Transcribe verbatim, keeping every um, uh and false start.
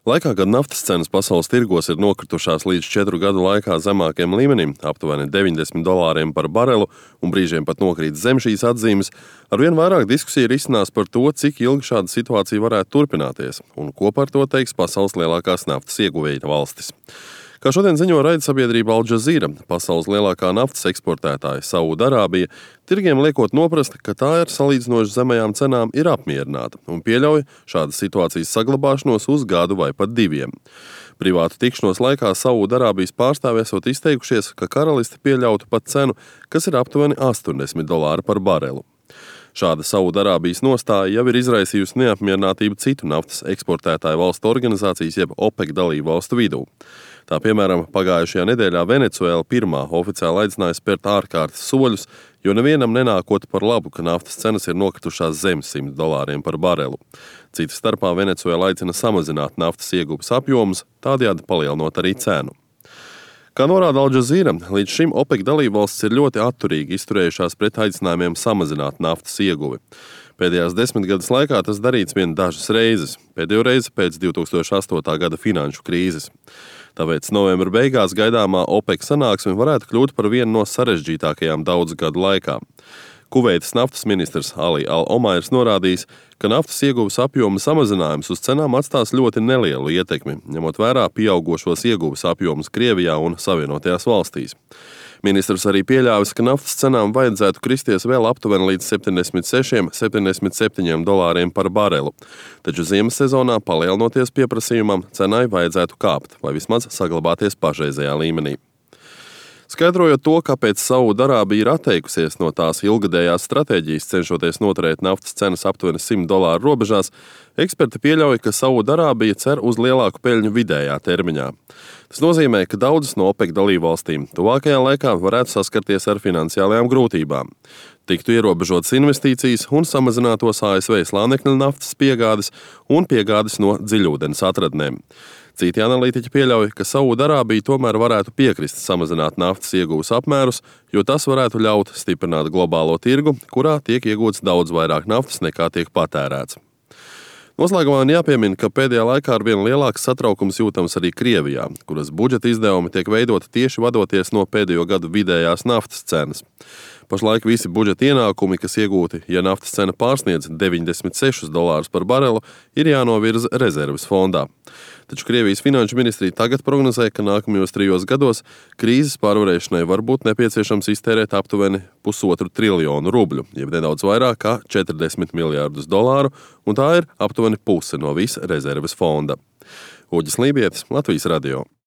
Laikā, kad naftas cenas pasaules tirgos ir nokritušās līdz četru gadu laikā zemākajam līmenim, aptuveni deviņdesmit dolāriem par barelu, un brīžiem pat nokrīt zem šīs atzīmes, arvien vairāk diskusija risinās par to, cik ilgi šāda situācija varētu turpināties, un ko par to teiks pasaules lielākās naftas ieguvēja valstis. Kā šodien ziņo raidsabiedrība Al Jazeera, pasaules lielākā naftas eksportētāja Saūdarābija, tirgiem liekot noprast, ka tā ar salīdzinoši zemajām cenām ir apmierināta un pieļauj šādas situācijas saglabāšanos uz gadu vai pat diviem. Privātu tikšanos laikā Saūdarābijas pārstāvji esot izteikušies, ka karalisti pieļautu pat cenu, kas ir aptuveni astoņdesmit dolāri par barelu. Šāda Saūdarābijas nostāja jau ir izraisījusi neapmierinātību citu naftas eksportētāju valstu organizācijas jeb OPEC dalību valstu vidū. Tā piemēram, pagājušajā nedēļā Venecuēla pirmā oficiāli aicināja spērt ārkārtas soļus, jo nevienam nenākot par labu, ka naftas cenas ir nokritušās zem simt dolāriem par barelu. Cita starpā Venecuēla aicina samazināt naftas ieguves apjomus, tādējādi palielinot arī cenu. Kā norāda Al Jazeera, līdz šim OPEC dalībvalstis ir ļoti atturīgi izturējušās pret aicinājumiem samazināt naftas ieguvi. Pēdējās desmitgades laikā tas darīts vien dažas reizes, pēdējo reizi pēc divi tūkstoši astotā gada finanšu krīzes. Tāpēc novembra beigās gaidāmā OPEC sanāksme varētu kļūt par vienu no sarežģītākajām daudzu gadu laikā. Kuveitas naftas ministrs Ali Al-Omairs norādījis, ka naftas ieguves apjoma samazinājums uz cenām atstās ļoti nelielu ietekmi, ņemot vērā pieaugošos ieguves apjomus Krievijā un Savienotajās valstīs. Ministrs arī pieļāvis, ka naftas cenām vajadzētu kristies vēl aptuveni līdz septiņdesmit sešiem līdz septiņdesmit septiņiem dolāriem par barelu, taču ziemas sezonā palielinoties pieprasījumam, cenai vajadzētu kāpt vai vismaz saglabāties pašreizējā līmenī. Skaidrojot to, kāpēc Saūdarābija ir atteikusies no tās ilgadējās stratēģijas, cenšoties noturēt naftas cenas aptuveni simt dolāru robežās, eksperti pieļauj, ka Saūdarābija cer uz lielāku peļņu vidējā termiņā. Tas nozīmē, ka daudzas no OPEC dalībvalstīm tuvākajā laikā varētu saskarties ar finansiālajām grūtībām. Tiktu ierobežotas investīcijas un samazinātos A S V slānekļa naftas piegādes un piegādes no dziļūdens atradnēm. Citi analītiķi pieļauj, ka Saūdarābija tomēr varētu piekrist samazināt naftas ieguves apmērus, jo tas varētu ļaut stiprināt globālo tirgu, kurā tiek iegūts daudz vairāk naftas nekā tiek patērēts. Noslēgumā jāpiemina, ka pēdējā laikā ar vien lielāks satraukums jūtams arī Krievijā, kuras budžeta izdevumi tiek veidoti tieši vadoties no pēdējo gadu vidējās naftas cenas. Pašlaik visi budžeta ienākumi, kas iegūti, ja naftas cena pārsniedz deviņdesmit sešus dolārus par barelu, ir jānovirza rezerves fondā. Taču Krievijas finanšu ministrija tagad prognozē, ka nākamajos trijos gados krīzes pārvarēšanai var būt nepieciešams iztērēt aptuveni pusotru triljonu rubļu, jeb nedaudz vairāk kā četrdesmit miljārdus dolāru, un tā ir aptuveni puse no visa rezerves fonda. Uģis Lībietis, Latvijas radio.